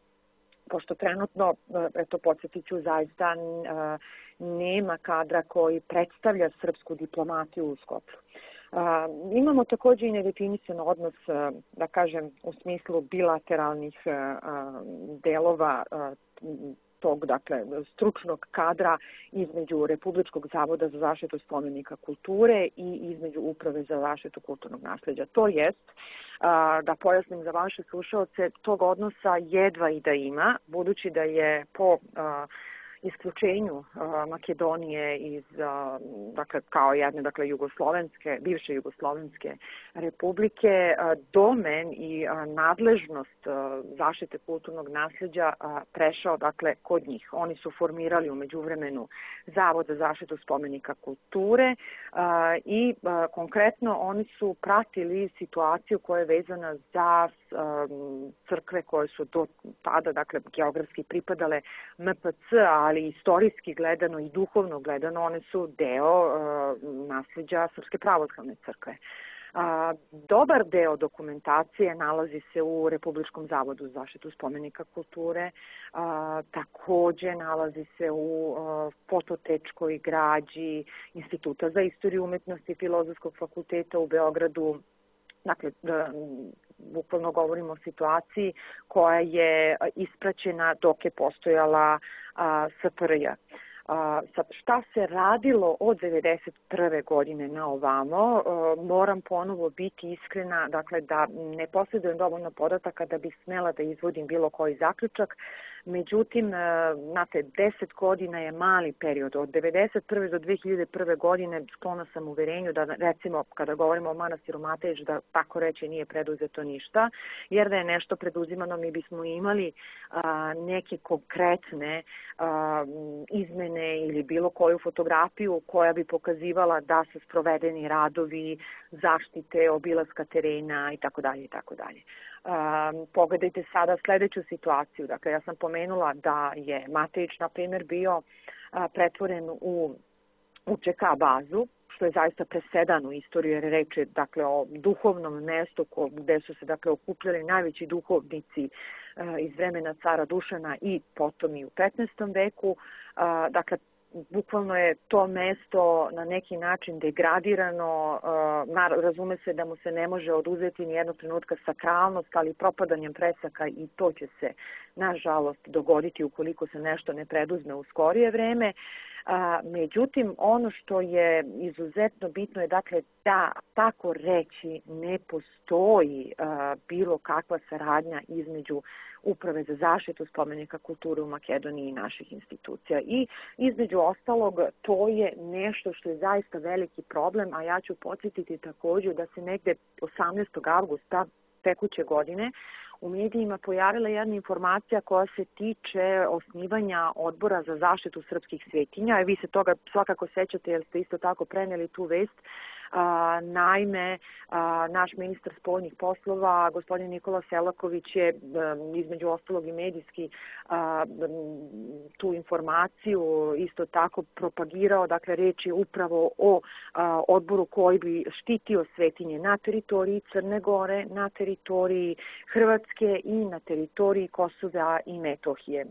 pošto trenutno, eto, podsjetit ću, zaista nema kadra koji predstavlja srpsku diplomatiju u Skoplju. Imamo takođe i nedefinisan odnos, da kažem, u smislu bilateralnih delova tog, dakle, stručnog kadra između Republičkog zavoda za zaštitu spomenika kulture i između Uprave za zaštitu kulturnog nasleđa. To jest, da pojasnim za vaše slušalce, tog odnosa jedva i da ima, budući da je po isključenju Makedonije iz, dakle, kao jedne, dakle, jugoslovenske, bivše jugoslovenske republike, domen i nadležnost zaštite kulturnog nasleđa prešao, dakle, kod njih. Oni su formirali u međuvremenu Zavod za zaštitu spomenika kulture i konkretno oni su pratili situaciju koja je vezana za crkve koje su do tada, dakle, geografski pripadale M P C, ali istorijski gledano i duhovno gledano one su deo uh, nasleđa Srpske pravoslavne crkve. Uh, dobar deo dokumentacije nalazi se u Republičkom zavodu za zaštitu spomenika kulture, uh, takođe nalazi se u uh, fototečkoj građi Instituta za istoriju umetnosti Filozofskog fakulteta u Beogradu. Dakle, bukvalno govorimo o situaciji koja je ispraćena dok je postojala S F R J. Sad, šta se radilo od devedeset prve godine na ovamo, moram ponovo biti iskrena, dakle, da ne posjedujem dovoljno podataka da bih smela da izvodim bilo koji zaključak. Međutim, znate, deset godina je mali period. Od devedeset prve do dve hiljade prve godine sklona sam uverenju da, recimo, kada govorimo o manastiru Matejić, da tako reći nije preduzeto ništa, jer da je nešto preduzimano mi bismo imali a, neke konkretne a, izmene ili bilo koju fotografiju koja bi pokazivala da su sprovedeni radovi zaštite, obilaska terena i tako dalje i tako dalje. Um, pogledajte sada sledeću situaciju. Dakle, ja sam pomenula da je Matejić, na primjer, bio uh, pretvoren u U Č K bazu, što je zaista presedan u istoriji, jer reč je, dakle, o duhovnom mestu gde su se, dakle, okupljali najveći duhovnici uh, iz vremena cara Dušana i potom i u petnaestom veku. Uh, dakle, bukvalno je to mesto na neki način degradirano, razume se da mu se ne može oduzeti ni jednog trenutka sakralnost, ali propadanjem presaka i to će se, nažalost, dogoditi ukoliko se nešto ne preduzme u skorije vreme. Međutim, ono što je izuzetno bitno je dakle da tako reći ne postoji bilo kakva saradnja između Uprave za zaštitu spomenika kulture u Makedoniji i naših institucija. I između ostalog, to je nešto što je zaista veliki problem, a ja ću podsjetiti također da se negde osamnaestog avgusta tekuće godine u medijima pojavila jedna informacija koja se tiče osnivanja odbora za zaštitu srpskih svetinja. Vi se toga svakako sećate jer ste isto tako preneli tu vest. A, naime, a, naš ministar spoljnih poslova, gospodin Nikola Selaković je a, između ostalog i medijski a, tu informaciju isto tako propagirao. Dakle, reč je upravo o a, odboru koji bi štitio svetinje na teritoriji Crne Gore, na teritoriji Hrvatske i na teritoriji Kosova i Metohije.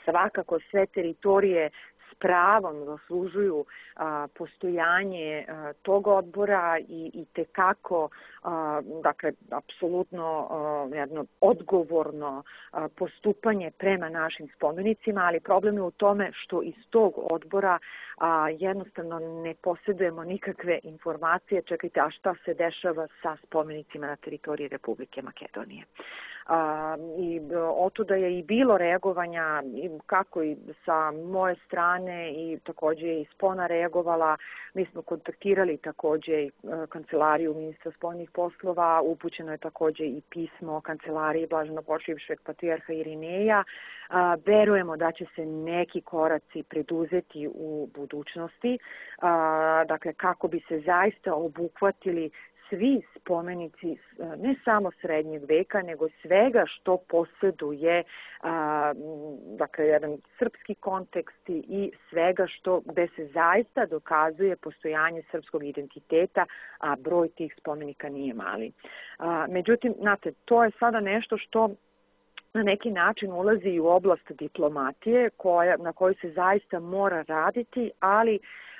Svakako sve teritorije s pravom zaslužuju a, postojanje a, tog odbora i, i tekako, a, dakle, apsolutno a, jedno odgovorno a, postupanje prema našim spomenicima, ali problem je u tome što iz tog odbora a, jednostavno ne posjedujemo nikakve informacije. Čekajte, a šta se dešava sa spomenicima na teritoriji Republike Makedonije? A, i otuda je i bilo reagovanja kako i sa moje strane i također je i Spona reagovala. Mi smo kontaktirali također i kancelariju ministra spoljnih poslova, upućeno je također i pismo kancelariji blaženopočivšeg patrijarha Irineja. A, verujemo da će se neki koraci preduzeti u budućnosti, a, dakle kako bi se zaista obuhvatili svi spomenici ne samo srednjeg veka, nego svega što posjeduje a, dakle, jedan srpski kontekst i svega što gde se zaista dokazuje postojanje srpskog identiteta, a broj tih spomenika nije mali. A, međutim, znate, to je sada nešto što na neki način ulazi i u oblast diplomatije koja, na kojoj se zaista mora raditi, ali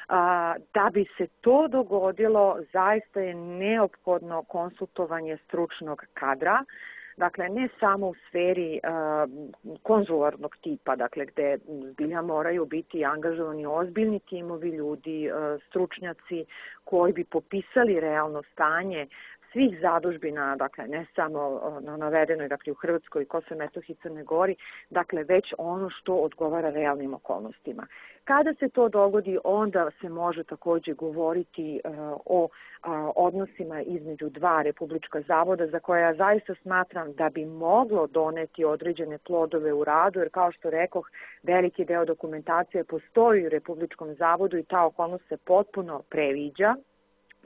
a, da bi se to dogodilo zaista je neophodno konsultovanje stručnog kadra. Dakle, ne samo u sferi uh, konzularnog tipa, dakle, gde zbilja moraju biti angažovani ozbiljni timovi ljudi, uh, stručnjaci koji bi popisali realno stanje svih zadužbina, dakle, ne samo na navedenoj, dakle, u Hrvatskoj, Kosovo, Metohiji, Crne Gori, dakle, već ono što odgovara realnim okolnostima. Kada se to dogodi, onda se može također govoriti uh, o uh, odnosima između dva republička zavoda, za koje ja zaista smatram da bi moglo doneti određene plodove u radu, jer kao što rekoh, veliki deo dokumentacije postoji u Republičkom zavodu i ta okolnost se potpuno previđa.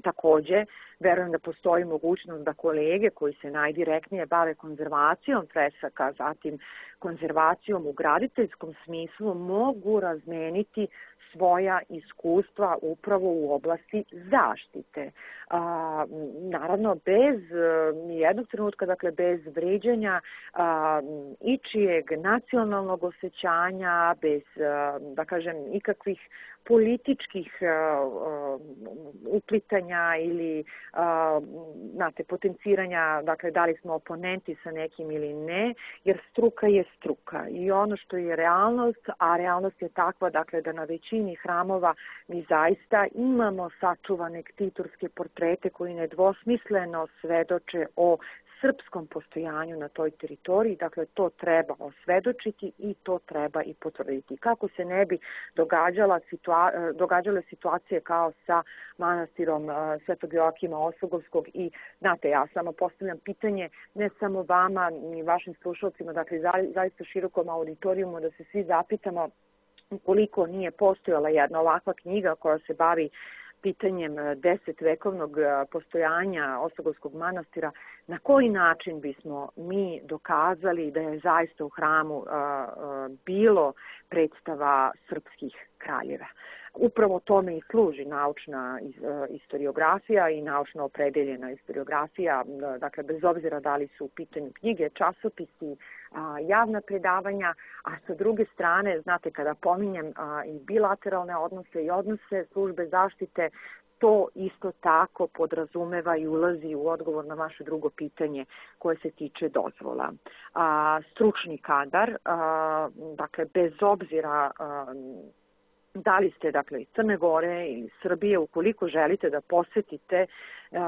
Također, verujem da postoji mogućnost da kolege koji se najdirektnije bave konzervacijom fresaka, zatim konzervacijom u graditeljskom smislu, mogu razmeniti svoja iskustva upravo u oblasti zaštite. A, naravno, bez jednog trenutka, dakle, bez vređanja a, ičijeg nacionalnog osjećanja, bez, a, da kažem, ikakvih političkih a, a, uplitanja ili a, znate, potenciranja, dakle, da li smo oponenti sa nekim ili ne, jer struka je struka. I ono što je realnost, a realnost je takva, dakle, da na većini hramova mi zaista imamo sačuvane ktitorske portrete koji nedvosmisleno svedoče o srpskom postojanju na toj teritoriji, dakle to treba osvedočiti i to treba i potvrditi. Kako se ne bi događala situa- događale situacije kao sa manastirom uh, Svetog Joakima Osogovskog i, znate, ja samo postavljam pitanje ne samo vama ni vašim slušalcima, dakle za, zaista širokom auditorijumu da se svi zapitamo koliko nije postojala jedna ovakva knjiga koja se bavi pitanjem desetvekovnog postojanja Osogovskog manastira, na koji način bismo mi dokazali da je zaista u hramu uh, uh, bilo predstava srpskih kraljeva. Upravo tome i služi naučna istoriografija i naučno opredeljena istoriografija, dakle bez obzira da li su u pitanju knjige, časopisi, javna predavanja, a sa druge strane, znate, kada pominjem i bilateralne odnose i odnose službe zaštite, to isto tako podrazumeva i ulazi u odgovor na vaše drugo pitanje koje se tiče dozvola. A, stručni kadar, a, dakle bez obzira a, da li ste dakle iz Crne Gore ili Srbije, ukoliko želite da posetite uh,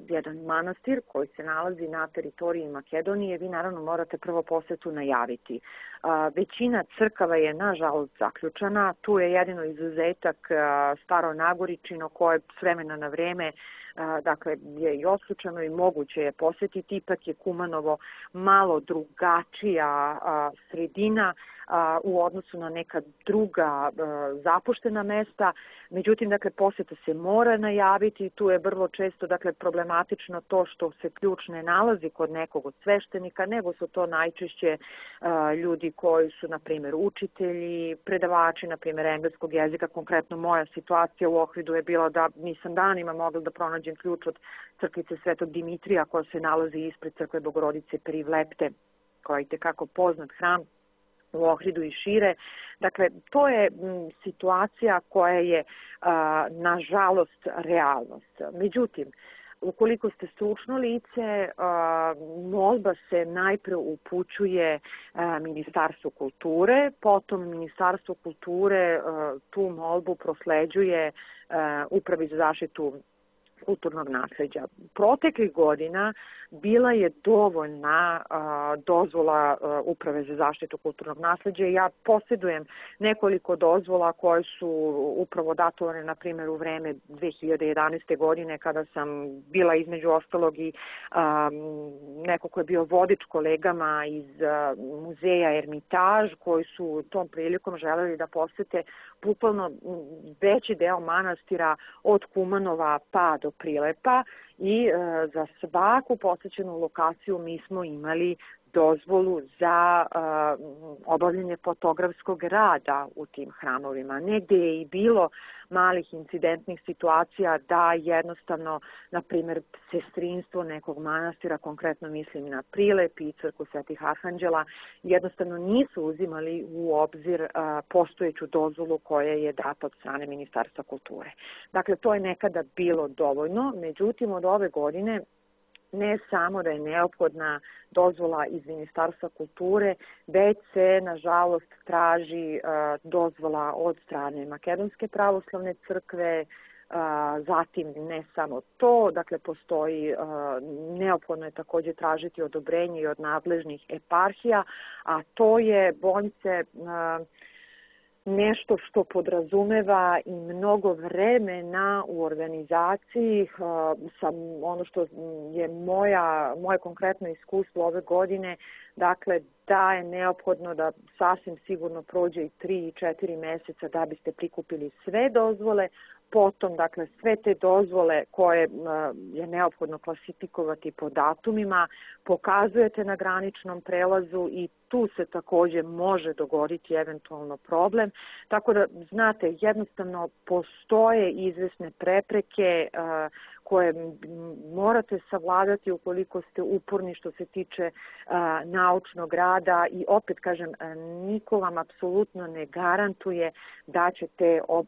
jedan manastir koji se nalazi na teritoriji Makedonije, vi naravno morate prvo posetu najaviti. Uh, većina crkava je nažalost zaključana, tu je jedino izuzetak uh, Staro Nagoričino koje s vremena na vreme Uh, dakle je i otključano i moguće je posetiti, ipak je Kumanovo malo drugačija uh, sredina uh, u odnosu na neka druga uh, zapuštena mesta, međutim dakle poseta se mora najaviti, tu je vrlo često dakle problematično to što se ključ ne nalazi kod nekog od sveštenika, nego su to najčešće uh, ljudi koji su na primjer učitelji, predavači na primjer engleskog jezika. Konkretno moja situacija u Ohridu je bila da nisam danima mogla da pronađem ključ od crkvice Svetog Dimitrija koja se nalazi ispred crkve Bogorodice Perivlepte, koja je tekako poznat hram u Ohridu i šire. Dakle, to je m, situacija koja je a, nažalost realnost. Međutim, ukoliko ste stručno lice, a, molba se najpre upućuje a, Ministarstvu kulture, potom Ministarstvo kulture a, tu molbu prosleđuje a, Upravi za zaštitu kulturnog nasleđa. Proteklih godina bila je dovoljna a, dozvola a, Uprave za zaštitu kulturnog nasleđa. Ja posjedujem nekoliko dozvola koje su upravo datovane, na primjer, u vreme dve hiljade jedanaeste. godine, kada sam bila između ostalog i a, neko ko je bio vodič kolegama iz a, muzeja Ermitaž, koji su tom prilikom želeli da posete bukvalno veći deo manastira od Kumanova pa do Prilepa i e, za svaku posjećenu lokaciju mi smo imali dozvolu za e, obavljanje fotografskog rada u tim hramovima. Negde je i bilo malih incidentnih situacija da jednostavno, na primjer, sestrinstvo nekog manastira, konkretno mislim na Prilep i crkvu Svetih Arhanđela, jednostavno nisu uzimali u obzir uh, postojeću dozvolu koja je data od strane Ministarstva kulture. Dakle, to je nekada bilo dovoljno, međutim od ove godine ne samo da je neophodna dozvola iz Ministarstva kulture, već se, nažalost, traži uh, dozvola od strane Makedonske pravoslavne crkve, uh, zatim ne samo to, dakle postoji, uh, neophodno je također tražiti odobrenje i od nadležnih eparhija, a to je, bojim se, uh, nešto što podrazumeva i mnogo vremena u organizaciji. Sam ono što je moja, moje konkretno iskustvo ove godine, dakle da je neophodno da sasvim sigurno prođe i tri i četiri meseca da biste prikupili sve dozvole, potom dakle sve te dozvole koje je neophodno klasifikovati po datumima, pokazujete na graničnom prelazu i tu se također može dogoditi eventualno problem. Tako da, znate, jednostavno postoje izvesne prepreke uh, koje morate savladati ukoliko ste uporni što se tiče uh, naučnog rada i opet kažem, niko vam apsolutno ne garantuje da će te uh,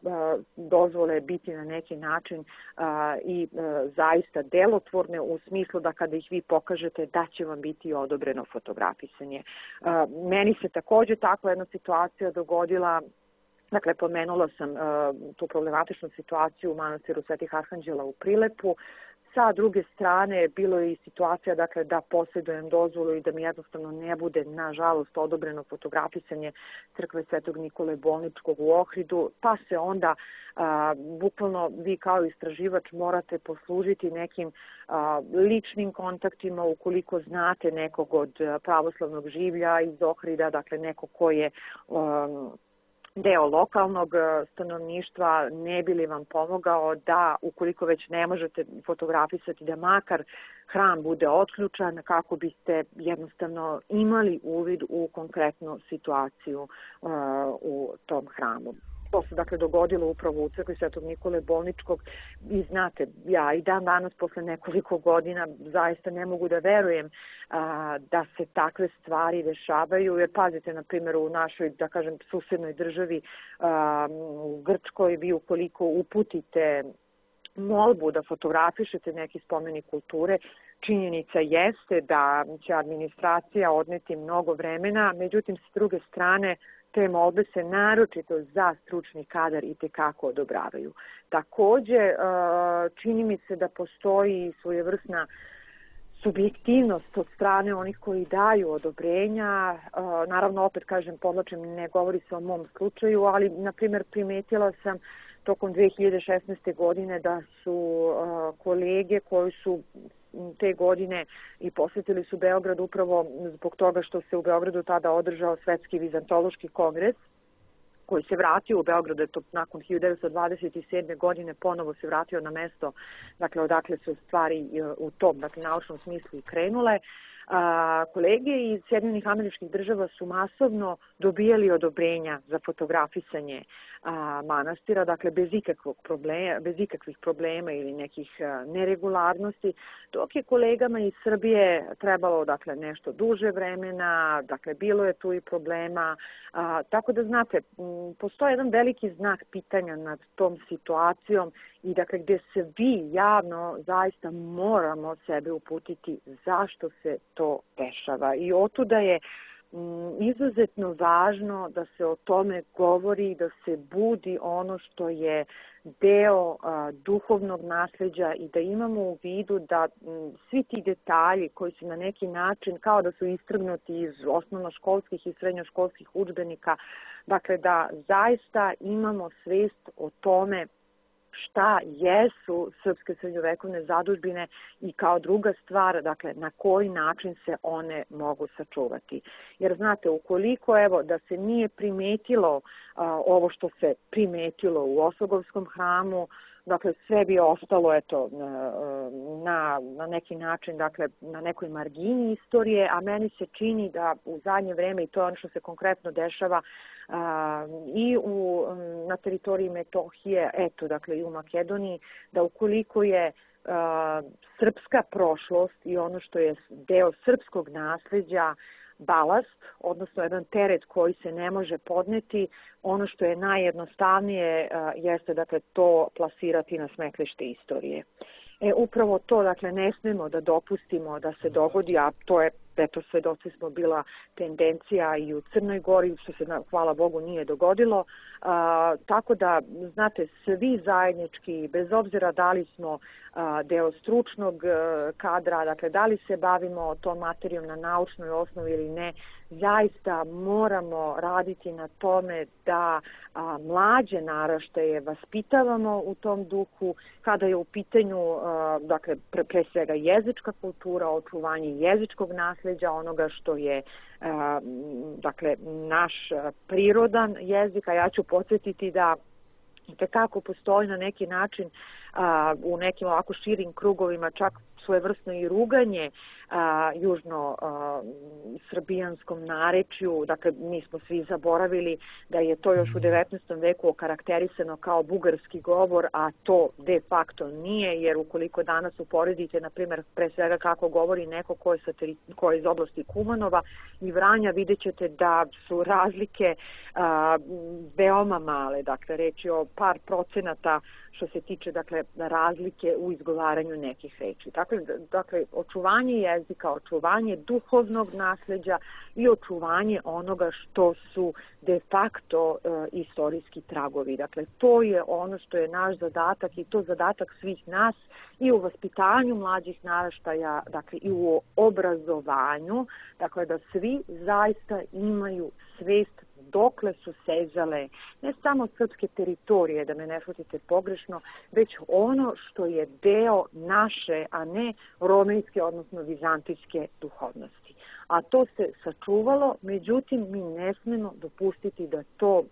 dozvole biti na neki način uh, i uh, zaista delotvorne u smislu da kada ih vi pokažete da će vam biti odobreno fotografisanje. Uh, meni se također takva jedna situacija dogodila. Dakle, pomenula sam uh, tu problematičnu situaciju u manastiru Svetih Arhanđela u Prilepu. Sa druge strane, bilo je i situacija dakle, da posjedujem dozvolu i da mi jednostavno ne bude, nažalost, odobreno fotografisanje crkve Svetog Nikole Bolničkog u Ohridu, pa se onda a, bukvalno vi kao istraživač morate poslužiti nekim a, ličnim kontaktima ukoliko znate nekog od pravoslavnog življa iz Ohrida, dakle neko ko je a, deo lokalnog stanovništva, ne bi li vam pomogao da, ukoliko već ne možete fotografisati, da makar hram bude otključan kako biste jednostavno imali uvid u konkretnu situaciju uh, u tom hramu. To se dakle dogodilo upravo u crkvi Svetog Nikole Bolničkog i znate, ja i dan danas posle nekoliko godina zaista ne mogu da verujem a, da se takve stvari dešavaju, jer pazite, na primjer, u našoj, da kažem, susednoj državi, a, u Grčkoj, vi ukoliko uputite molbu da fotografišete neki spomenik kulture, činjenica jeste da će administracija odneti mnogo vremena, međutim, s druge strane, te molbe se naročito za stručni kadar i tekako odobravaju. Takođe, čini mi se da postoji svojevrsna subjektivnost od strane onih koji daju odobrenja. Naravno, opet kažem, podlačem, ne govori se o mom slučaju, ali, na primjer, primetila sam tokom dve hiljade šesnaeste. godine da su kolege koji su te godine i posjetili su Beograd upravo zbog toga što se u Beogradu tada održao Svetski vizantološki kongres, koji se vratio u Beograd, je to nakon hiljadu devetsto dvadeset sedme. godine ponovo se vratio na mesto, dakle, odakle su stvari u tom, dakle, naučnom smislu i krenule. A, kolege iz Sjedinjenih Američkih Država su masovno dobijali odobrenja za fotografisanje a, manastira, dakle, bez ikakvog problema, bez ikakvih problema ili nekih a, neregularnosti, dok je kolegama iz Srbije trebalo, dakle, nešto duže vremena, dakle, bilo je tu i problema, a, tako da, znate, m, postoji jedan veliki znak pitanja nad tom situacijom i, dakle, gde se vi javno zaista moramo sebe uputiti zašto se to dešava. I otuda je m, izuzetno važno da se o tome govori, da se budi ono što je deo a, duhovnog nasleđa i da imamo u vidu da m, svi ti detalji koji su na neki način kao da su istrgnuti iz osnovnoškolskih i srednjoškolskih udžbenika, dakle, da zaista imamo svest o tome šta jesu srpske srednjovekovne zadužbine i kao druga stvar, dakle, na koji način se one mogu sačuvati. Jer, znate, ukoliko, evo, da se nije primetilo a, ovo što se primetilo u Osogovskom hramu, dakle, sve bi ostalo, eto, na, na neki način, dakle, na nekoj margini istorije, a meni se čini da u zadnje vreme, i to je ono što se konkretno dešava a, i u, na teritoriji Metohije, eto, dakle, i u Makedoniji, da ukoliko je a, srpska prošlost i ono što je deo srpskog nasleđa balast, odnosno jedan teret koji se ne može podneti, ono što je najjednostavnije jeste, dakle, to plasirati na smetlište istorije. E, upravo to, dakle, ne smemo da dopustimo da se dogodi, a to je, eto, svedoci smo, bila tendencija i u Crnoj Gori, što se, hvala Bogu, nije dogodilo. A, tako da, znate, svi zajednički, bez obzira da li smo a, deo stručnog a, kadra, dakle, da li se bavimo tom materijom na naučnoj osnovi ili ne, zaista moramo raditi na tome da a, mlađe naraštaje vaspitavamo u tom duhu, kada je u pitanju, a, dakle, pre, pre svega jezička kultura, očuvanje jezičkog nasleđa, onoga što je a, dakle, naš prirodan jezik, a ja ću podsjetiti da tekako postoji na neki način a, u nekim ovako širim krugovima čak svojevrsno i ruganje a, južno a, srbijanskom narečju. Dakle, mi smo svi zaboravili da je to još u devetnaestom veku okarakterisano kao bugarski govor, a to de facto nije, jer ukoliko danas uporedite, na primjer, pre svega kako govori neko ko je, sa teri, ko je iz oblasti Kumanova i Vranja, vidjet ćete da su razlike a, veoma male. Dakle, reč je o par procenata što se tiče, dakle, razlike u izgovaranju nekih reči. Dakle, dakle, očuvanje jezika, očuvanje duhovnog nasleđa i očuvanje onoga što su de facto e, istorijski tragovi. Dakle, to je ono što je naš zadatak i to zadatak svih nas i u vaspitanju mlađih naraštaja, dakle, i u obrazovanju, dakle, da svi zaista imaju svest dokle su sezale ne samo srpske teritorije, da me ne shvatite pogrešno, već ono što je deo naše, a ne romenske, odnosno vizantijske duhovnosti. A to se sačuvalo, međutim, mi ne smemo dopustiti da to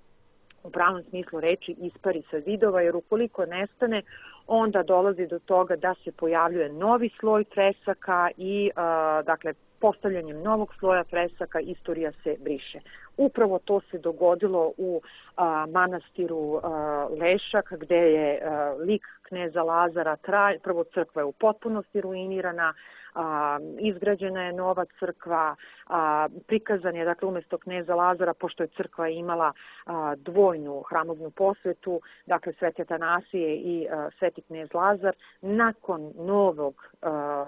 u pravom smislu reči ispari sa zidova, jer ukoliko nestane, onda dolazi do toga da se pojavljuje novi sloj fresaka i, uh, dakle, postavljanjem novog sloja fresaka istorija se briše. Upravo to se dogodilo u a, manastiru a, Lešak, gde je a, lik kneza Lazara traj, prvo crkva je u potpunosti ruinirana, a, izgrađena je nova crkva, a, prikazan je, dakle, umesto kneza Lazara, pošto je crkva imala a, dvojnu hramovnu posvetu, dakle, Sveti Atanasije i a, Sveti knez Lazar, nakon novog, a,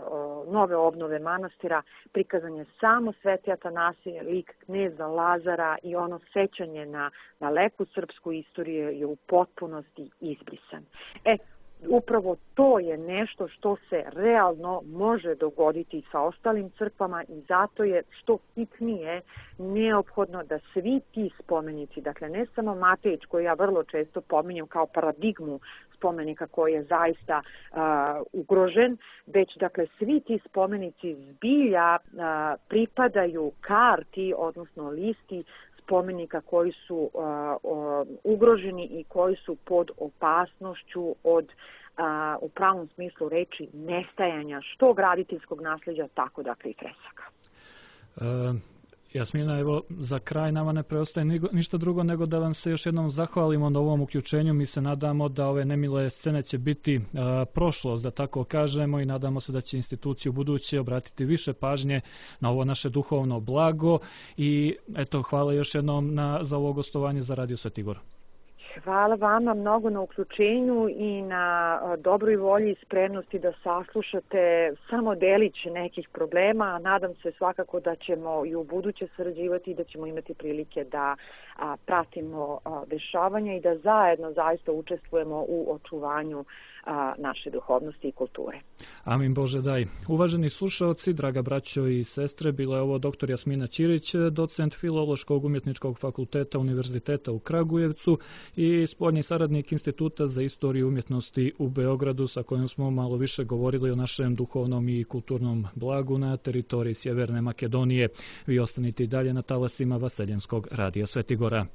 nove obnove manastira prikazan prikazan je samo Sveti Atanasije, lik kneza Lazara i ono sećanje na, na lepu srpsku istoriju je u potpunosti izbrisan. E, upravo to je nešto što se realno može dogoditi sa ostalim crkvama i zato je što hitnije neophodno da svi ti spomenici, dakle ne samo Matejić koji ja vrlo često pominjem kao paradigmu spomenika koji je zaista uh, ugrožen, već dakle svi ti spomenici zbilja uh, pripadaju karti, odnosno listi spomenika koji su uh, uh, ugroženi i koji su pod opasnošću od uh, u pravom smislu reči nestajanja što graditeljskog nasljeđa, tako dakle i fresaka. Uh... Jasmina, evo, za kraj nama ne preostaje ništa drugo nego da vam se još jednom zahvalimo na ovom uključenju. Mi se nadamo da ove nemile scene će biti a, prošlost, da tako kažemo, i nadamo se da će institucije u buduće obratiti više pažnje na ovo naše duhovno blago. I eto, hvala još jednom na, za ovo gostovanje za Radio Sveti Igor. Hvala vama mnogo na uključenju i na dobroj volji i spremnosti da saslušate samo delić nekih problema, a nadam se svakako da ćemo i u buduće sarađivati i da ćemo imati prilike da a, pratimo a, dešavanja i da zajedno zaista učestvujemo u očuvanju a, naše duhovnosti i kulture. Amin Bože daj. Uvaženi slušaoci, draga braćo i sestre, bila je ovo doktor Jasmina Ćirić, docent Filološkog umjetničkog fakulteta Univerziteta u Kragujevcu i spoljni saradnik Instituta za istoriju umjetnosti u Beogradu, sa kojim smo malo više govorili o našem duhovnom i kulturnom blagu na teritoriji Sjeverne Makedonije. Vi ostanite i dalje na talasima Vaseljenskog radija Svetigora.